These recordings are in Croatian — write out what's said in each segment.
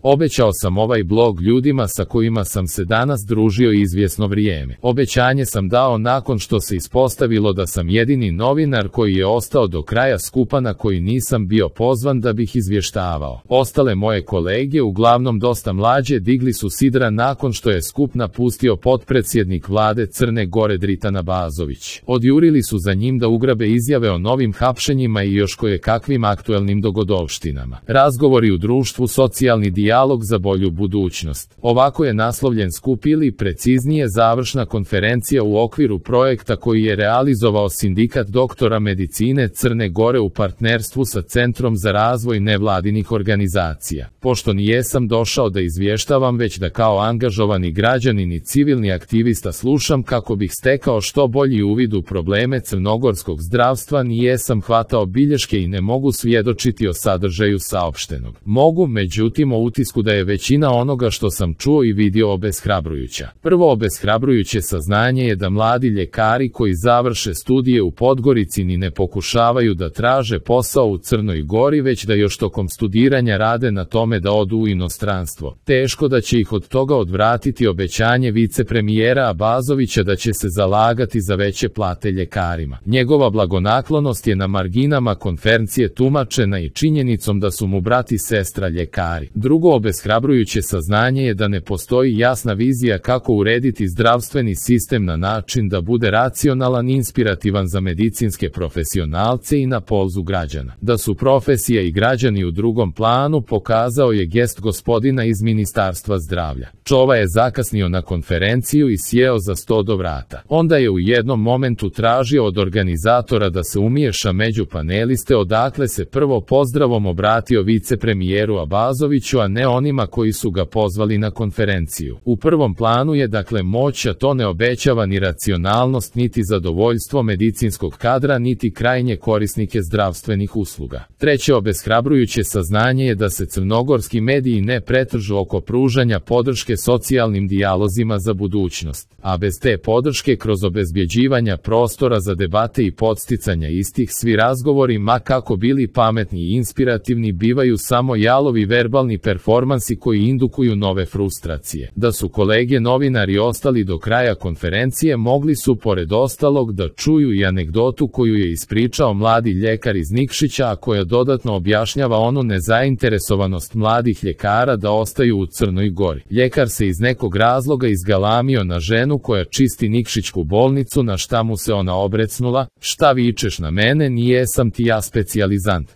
Obećao sam ovaj blog ljudima sa kojima sam se danas družio izvjesno vrijeme. Obećanje sam dao nakon što se ispostavilo da sam jedini novinar koji je ostao do kraja skupa na koji nisam bio pozvan da bih izvještavao. Ostale moje kolege, uglavnom dosta mlađe, digli su sidra nakon što je skup napustio potpredsjednik vlade Crne Gore Dritan Abazović. Odjurili su za njim da ugrabe izjave o novim hapšenjima i još koje kakvim aktuelnim dogodovštinama. Razgovori u društvu, socijalni dijalog za bolju budućnost. Ovako je naslovljen skup ili preciznije završna konferencija u okviru projekta koji je realizovao Sindikat doktora medicine Crne Gore u partnerstvu sa Centrom za razvoj nevladinih organizacija. Pošto nijesam došao da izvještavam, već da kao angažovani građanin i civilni aktivista slušam kako bih stekao što bolji uvid u probleme crnogorskog zdravstva, nijesam hvatao bilješke i ne mogu svjedočiti o sadržaju saopštenog. Mogu, međutim, o utisku da je većina onoga što sam čuo i vidio obeshrabrujuća. Prvo obeshrabrujuće saznanje je da mladi ljekari koji završe studije u Podgorici ni ne pokušavaju da traže posao u Crnoj Gori, već da još tokom studiranja rade na tome da odu u inostranstvo. Teško da će ih od toga odvratiti obećanje vicepremijera Abazovića da će se zalagati za veće plate ljekarima. Njegova blagonaklonost je na marginama konferencije tumačena i činjenicom da su mu brat i sestra ljekari. Drugo obeshrabrujuće saznanje je da ne postoji jasna vizija kako urediti zdravstveni sistem na način da bude racionalan i inspirativan za medicinske profesionalce i na polzu građana. Da su profesija i građani u drugom planu pokazao je gest gospodina iz Ministarstva zdravlja. Čova je zakasnio na konferenciju i sjeo za sto do vrata. Onda je u jednom momentu tražio od organizatora da se umiješa među paneliste, odakle se prvo pozdravom obratio vicepremijeru Abazoviću, a ne onima koji su ga pozvali na konferenciju. U prvom planu je dakle moć, a to ne obećava ni racionalnost, niti zadovoljstvo medicinskog kadra, niti krajnje korisnike zdravstvenih usluga. Treće obeshrabrujuće saznanje je da se crnogorski mediji ne pretržu oko pružanja podrške socijalnim dijalozima za budućnost, a bez te podrške kroz obezbjeđivanja prostora za debate i podsticanja istih, svi razgovori, ma kako bili pametni i inspirativni, bivaju samo jalovi verbalni performansi koji indukuju nove frustracije. Da su kolege novinari ostali do kraja konferencije, mogli su pored ostalog da čuju i anegdotu koju je ispričao mladi ljekar iz Nikšića, a koja dodatno objašnjava onu nezainteresovanost mladih ljekara da ostaju u Crnoj Gori. Ljekar se iz nekog razloga izgalamio na ženu koja čisti Nikšićku bolnicu, na šta mu se ona obrecnula: "Šta vičeš na mene, nijesam ti ja specijalizant."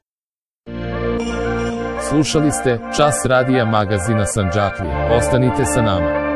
Slušali ste Čas radija magazina Sandžaklije. Ostanite sa nama.